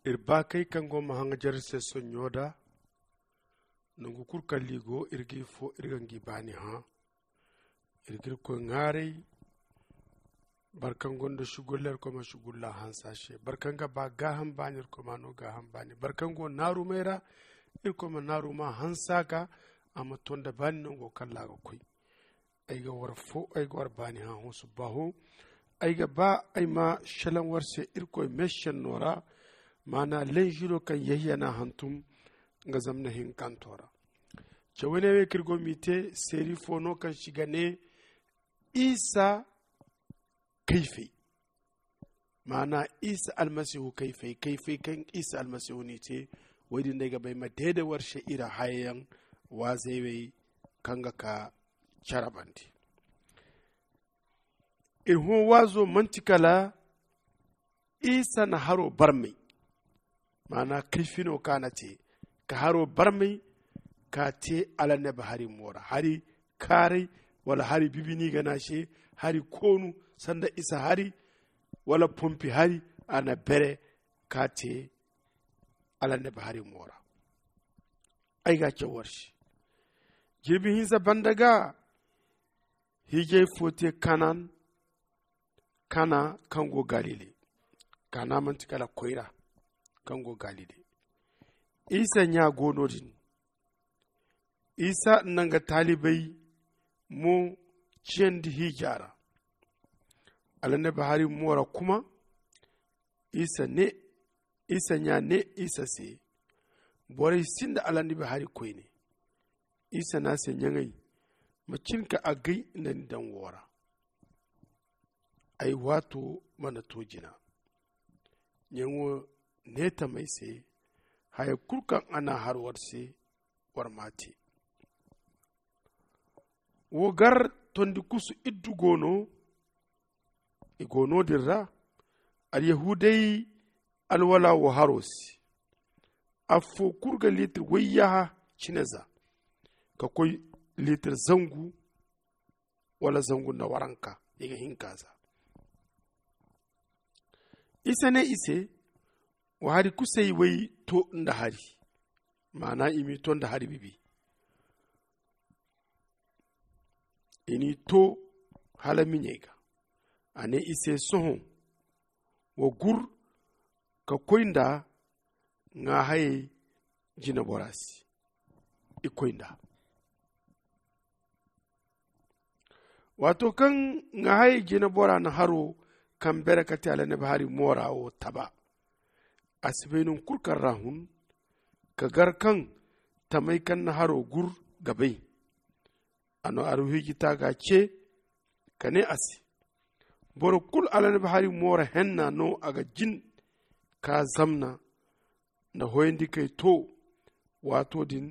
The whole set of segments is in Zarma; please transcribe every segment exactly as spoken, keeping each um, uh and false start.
Iri baakey kaŋ go ma haŋajer se sonɲo da, nangu kulu kaŋ liigo iri ga i fo iri ga ngi baani hã. Iri ga irkoy ŋaaray. Boro kaŋ gonda sugulla irkoy ma sugulla hanse a se. Boro kaŋ ga ba gaaham baani irkoy ma no gaaham baani. Boro kaŋ go naarumey ra irkoy ma naaruma hanse a ga. A ma to nda baani nango kaŋ ra a ga koy. Ay ga war fo ay ga war baani hã hõ subba hõ. Ay ga ba ay ma selaŋ war se irkoy meesenno ra. Maana lenžiro kaŋ yehiyana hantum nga zamna hinkanto ra. Cawey ne wey kaŋ iri go m'i te seeri fo no kaŋ si ga ne isa kayfay. Maana isa almasihu kayfay kayfay kaŋ isa almasihu n'i te. Woy din no ay ga ba ay ma deede war se iri hayayaŋ waazey wey kaŋ ga ka care bande. Iri hõ waazo manti kala isa na haro barmay. Maana kayfino kaŋ a na te ka haro barmay ka te alannabi hari mo ra hari kaaray wala hari bibi no i ga ne a se hari koonu sanda isa hari wala pompi hari a na bere ka te alannabi hari mo ra. Ay ga a caw war se jirbi hinza banda ga hiijay fo te kanan kana kaŋ go galile. Kana manti kala koyra kaŋ go galile. Isa ɲa go no- din isa na nga taalibey mo ciyandi hiija ra. Alannabi hari mo ra kuma isa ne isa ɲa ne isa se borey sinda alannabi hari koyne. Isa ne a se ɲaŋey ma cin ka agay nda ni daŋ wo ra. Ay waato mana to jina. Ɲaŋo ne tamey se haya kulu kaŋ a na har war se war m'a te. Wo gar tondi kusu iddu go no. I go no- din ra alyahuudey alwala wo haro se. Affo kulu ga liitir wayyaha cine za ka koy liitir zangu wala zangu nda waranka i ga hinka za. Isa ne i se wa hari kusay way to nda hari. Maana i m'i to nda hari bibi i n'i to hala miɲey ga. A ne i se sohõ wa gur ka koy nda ŋaahayey jinebora se. I koy nda waato kaŋ ŋaahayey jinebora na haro kaŋ bere ka te alannabi hari moora wo taba. A si bay nangu kulu kaŋ ra hun ka gar kaŋ tamey kaŋ na haro gur ga bay. A na aruhiiji taaga ce ka ne a se boro kulu alannabi hari moora henna no a ga jin ka zamna nda hoyandikey to. Waato din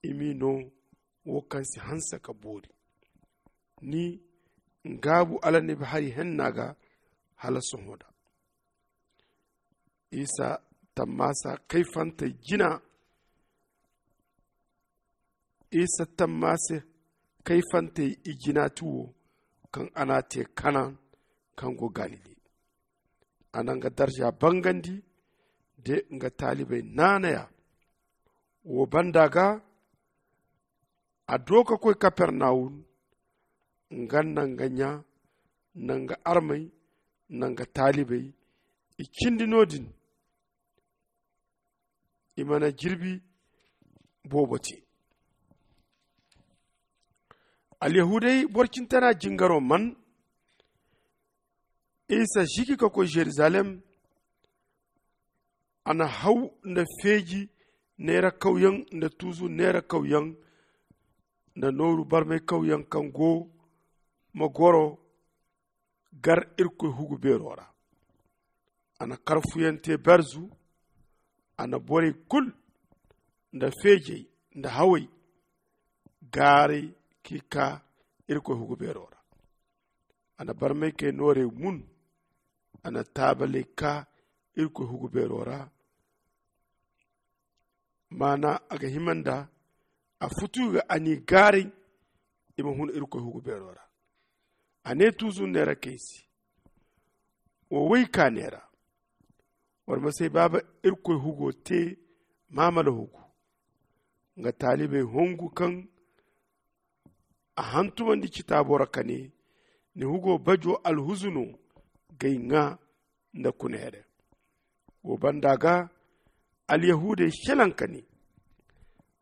i m'i no wo kaŋ si hanse ka boori ni ngaabu alannabi hari henna ga hala sohõ da. Isa tammaasa kayfantey jina isa tammaasa kayfantey i jina ti wo kaŋ a n'a te kanan kaŋ go galile. A na nga darza bangandi de nga taalibey naanaya. Wo banda ga a do ka koy kapernawum. Nga nda nga ɲa nda nga armey nda nga taalibey i cindi no-din. I mana jirbi boobo te. Alyahuudey boro cintana jingaro man isa ziki ka koy zerizalem. A na haw nda feeji neera kawyaŋ nda tuuzu neera kawyaŋ nda nooru barmay kawyaŋ kaŋ go ma goro gar irkoy hugu beero ra. A na karfuyaŋ te berzu. A na borey kulu nda feejey nda hawey gaaray k'i kaa irkoy hugu beero ra. A na barmaykey noorey mun. A na taabaley kaa irkoy hugu beero ra. Maana a ga hima nda a futu ga a n'i gaaray i ma hun irkoy hugu beero ra. A ne tuuzu neera kay se wo woy ka neera Boro ma si ay baaba irkoy hugo te maamala hugu. Nga taalibey hongu kaŋ a hantumandi citaabo ra ka ne, ni hugo bajo alhuzu no g'ay ŋaa nda kuna here. Wo banda ga alyahuudey selaŋ ka ne,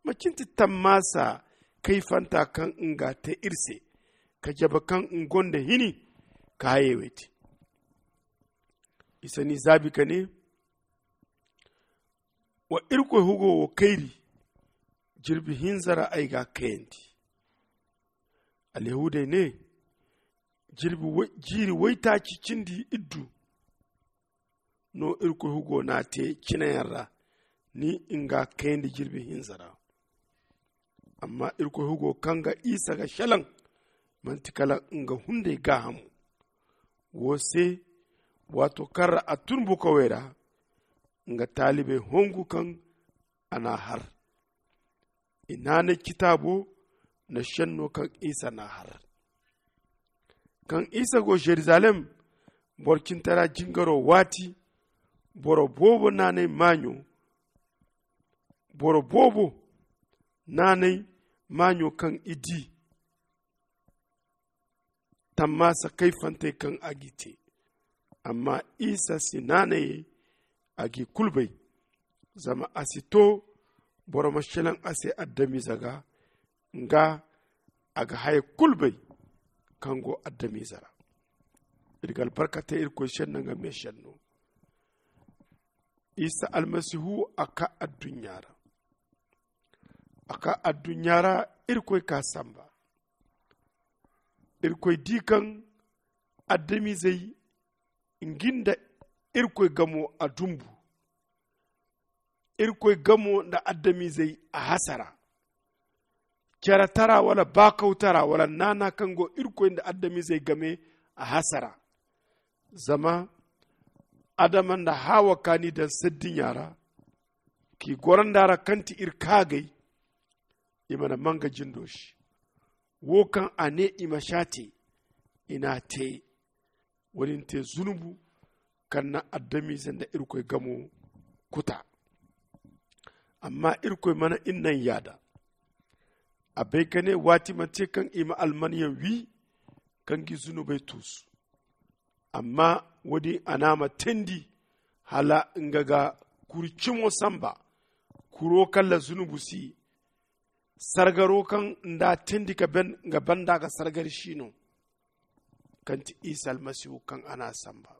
macin ti tammaasa kayfanta kaŋ nga te iri se ka jabe kaŋ nga gonda hini ka hayey wey te? Isa n'i zaabi ka ne, wa irkoy hugo wo kayri, jirbi hinza ra ay g'a kayandi. Alyahuudey ne, jiiri waytaaci cindi iddu no irkoy hugo n'a te cinayaŋ ra, ni nga kayandi jirbi hinza ra. Amma irkoy hugo kaŋ ga isa ga selaŋ, manti kala nga hunday gaahamo. Wo se, waato kaŋ ra a tun bukawey ra, nga taalibey hongu kaŋ a n'a har. I naanay citaabo nda senno kaŋ isa n'a har. Kaŋ isa go zerizalem, boro cintara jingaro waati, boro boobo naanay maaɲo boro boobo naanay maaɲo kaŋ i di tammaasa kayfantey kaŋ a g'i te. Amma isa si naanayey a g'i kulu bay, zama a si to boro ma selaŋ a se adamize ga. Nga a ga haya kulu bay kaŋ go adamize ra. Iri ga albarka te irkoy senno nga me senno. Isa almasihu a ka adduɲɲa ra. A ka adduɲɲa ra, irkoy ka samba. Irkoy di kaŋ adamizey ngi nda irkoy gamo a dumbu. Irkoy gamo nda adamizey a hasara. Cere tara wala baakawtara wala naana kaŋ go irkoy nda adamizey game a hasara. Zama adama nda hawa kaani daŋ saddiɲa ra, k'i goro nda ra kaŋ ti iri kaagay, i mana manga jindo se. Wo kaŋ a ne i ma s'a te, i n'a te. Wo- din te zunubu kaŋ na adamize nda irkoy gamo kuta. Amma irkoy mana i naŋ yaada. A bay ka ne waati ma te kaŋ i ma almanyaŋ wi kaŋ gi zunubey tuusu. Amma wo- din a n'a ma teendi hala nga ga kuri cimo samba, kuro kaŋ ra zunubu si. Sargaro kaŋ nda a teendi ka ben nga banda ga sargari si no, kaŋ ti isa almasihu kaŋ a n'a samba.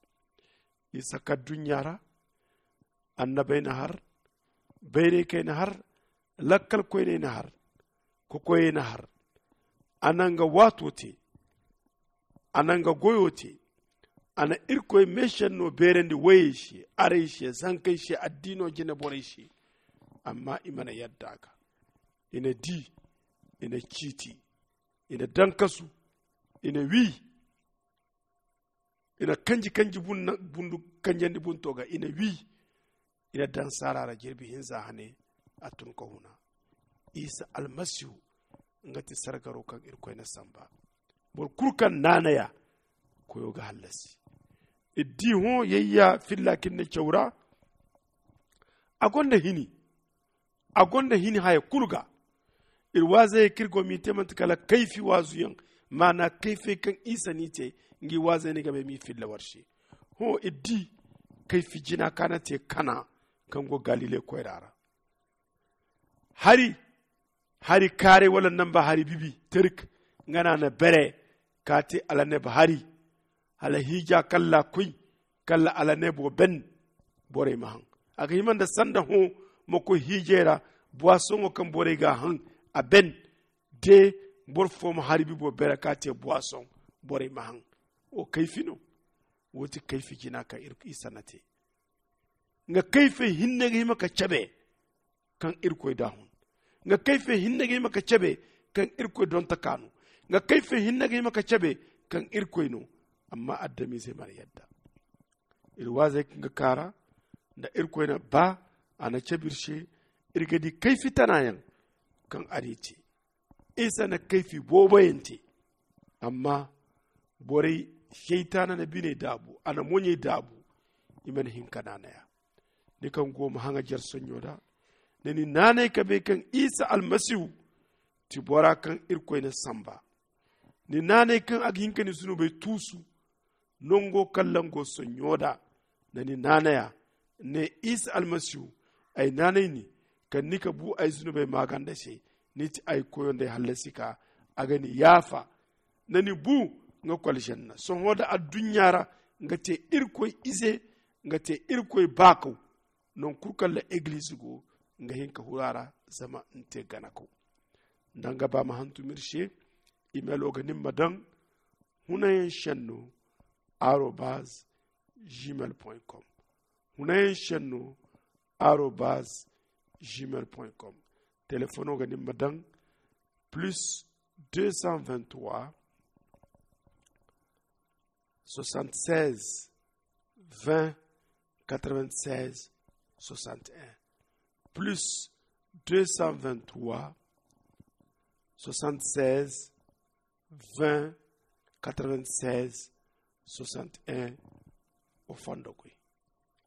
Isa ka adduɲɲa ra, annabey na har, bayraykey na har, lakkalkoyney na har, kokoyey na har. A na nga waato te, a na nga goyo te. A na irkoy meesenno beerandi woyey se, arey se, zankey se, addiino jine borey se. Amma i mana yadda a ga. I na di, i na ciiti, i na daŋ kasu, i na wi, i na kanji kanji bundu kanjandi bunto ga, i na wi, i na daŋ saara ra jirbi hinza hane. A tun ka huna. Isa almasihu, nga ti sargaro kaŋ irkoy na samba. Boro kulu kaŋ naanaya, koyo ga hallasi. Iri di hõ yayya filla kaŋ iri na caw ra. A gonda hini. A gonda hini haya kulu ga. Iri waazey kaŋ iri go m'i te manti kala kayfi waazuyaŋ, maana kayfey kaŋ isa n'i te. Ngi waazey ni ga bay m'i filla war se. Hõ iri di kayfi jina kaŋ a na te kana, kaŋ go galile koyra ra. Hari hari kaaray wala namba hari bibi terik, nga no a na bere ka te alaneb hari. Hala hiija kalla koy, kalla alanebo ben. Borey ma haŋ. A ga hima nda sanda hõ ma koy hiijey ra, buwasoŋo kaŋ borey ga haŋ a ben. De boro fo ma hari bibo bere ka te buwasoŋ, borey ma haŋ. Wo kayfi no. Wo ti kayfi jina kaŋ isa na te. Nga kayfey hinne ga hima ka cabe kaŋ irkoy daahun. Nga kayfey hinne ga hima ka cabe kaŋ irkoy donta kaanu. Nga kayfey hinne ga hima ka cabe kaŋ irkoy no. Amma adamize mana yadda. Iri waazey kaŋ ga kaara nda irkoy na ba a na cabe iri se. Iri ga di kayfi tanayaŋ kaŋ a n'i te. Isa na kayfi booboyaŋ te. Amma borey, seytaana na biney daabu, a na moɲey daabu. I mana hin ka naanaya. Ni kaŋ go ma haŋajer sonɲo da, ni ni naanay ka bay kaŋ isa almasihu ti bora kaŋ irkoy na samba. Ni naanay kaŋ a ga hin ka ni zunubey tuusu nango kaŋ lango sonɲo da. Ni ni naanaya, ne isa almasihu, ay naanay ni kaŋ ni ka bu ay zunubey maaganda se. Ni ti ay koyo nda ay hallasi ka a ga ni yaafa. Ni ni bu nga kwalzanna sohõ da adduɲɲa ra, nga te irkoy ize, nga te irkoy baakaw. Nangu kulu kaŋ ra egiliize go, nga hin ka huru a ra zama ni te ganakaw. Nda nga ba ma hantum iri se. Imelo ga nin ma daŋ hunayaŋ senno arobaz gmail com. Hunayaŋ senno arobaz gmail com. Telefono ga nin ma daŋ plus deux cent vingt-trois soixante-seize vingt quatre-vingt-seize soixante-un, plus deux cent vingt-trois soixante-seize vingt quatre-vingt-seize soixante-un. O fondo koy.